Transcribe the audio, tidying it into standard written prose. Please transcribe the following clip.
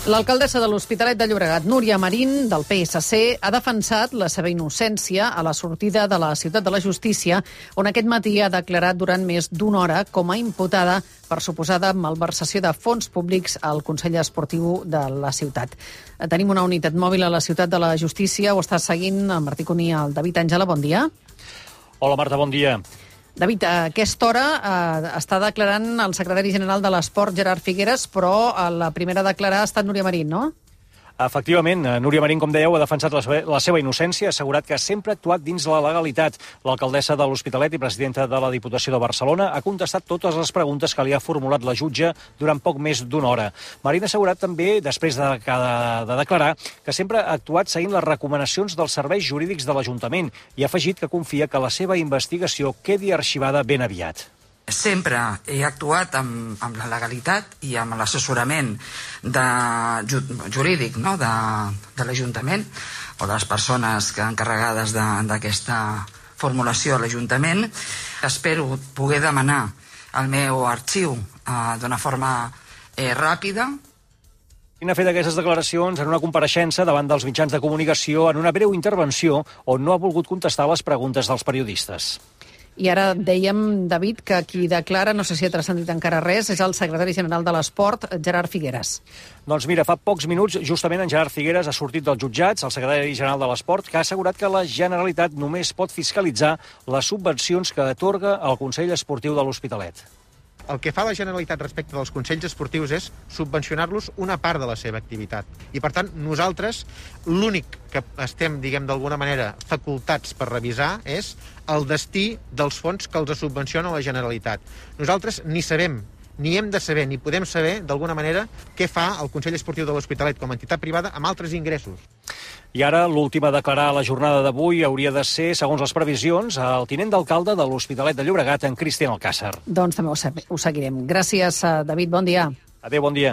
L'alcaldessa de l'Hospitalet de Llobregat, Núria Marín, del PSC, ha defensat la seva innocència a la sortida de la Ciutat de la Justícia, on aquest matí ha declarat durant més d'una hora com a imputada per suposada malversació de fons públics al Consell Esportiu de la ciutat. Tenim una unitat mòbil a la Ciutat de la Justícia. Ho està seguint el Martí Cuní, el David Àngela. Bon dia. Hola, Marta, bon dia. David, a aquesta hora està declarant el secretari general de l'Esport, Gerard Figueres, però la primera a declarar ha estat Núria Marín, no? Efectivament, Núria Marín, com dèieu, ha defensat la seva innocència, ha assegurat que sempre ha actuat dins la legalitat. L'alcaldessa de l'Hospitalet i presidenta de la Diputació de Barcelona ha contestat totes les preguntes que li ha formulat la jutge durant poc més d'una hora. Marín ha assegurat també, després de declarar, que sempre ha actuat seguint les recomanacions dels serveis jurídics de l'Ajuntament i ha afegit que confia que la seva investigació quedi arxivada ben aviat. Sempre he actuat amb la legalitat i amb l'assessorament jurídic, no? de l'Ajuntament o de les persones encarregades d'aquesta formulació a l'Ajuntament. Espero poder demanar el meu arxiu d'una forma ràpida. Marín ha fet aquestes declaracions en una compareixença davant dels mitjans de comunicació en una breu intervenció on no ha volgut contestar les preguntes dels periodistes. I ara dèiem, David, que qui declara, no sé si ha transcendit encara res, és el secretari general de l'Esport, Gerard Figueres. Doncs mira, fa pocs minuts, justament en Gerard Figueres ha sortit dels jutjats, el secretari general de l'Esport, que ha assegurat que la Generalitat només pot fiscalitzar les subvencions que atorga el Consell Esportiu de l'Hospitalet. El que fa la Generalitat respecte dels consells esportius és subvencionar-los una part de la seva activitat. I, per tant, nosaltres l'únic que estem, d'alguna manera, facultats per revisar és el destí dels fons que els subvenciona la Generalitat. Nosaltres ni sabem, ni hem de saber, ni podem saber, d'alguna manera, què fa el Consell Esportiu de l'Hospitalet com a entitat privada amb altres ingressos. I ara, l'última a declarar a la jornada d'avui hauria de ser, segons les previsions, el tinent d'alcalde de l'Hospitalet de Llobregat, en Cristian Alcàsser. Doncs també ho seguirem. Gràcies, David. Bon dia. Adéu, bon dia.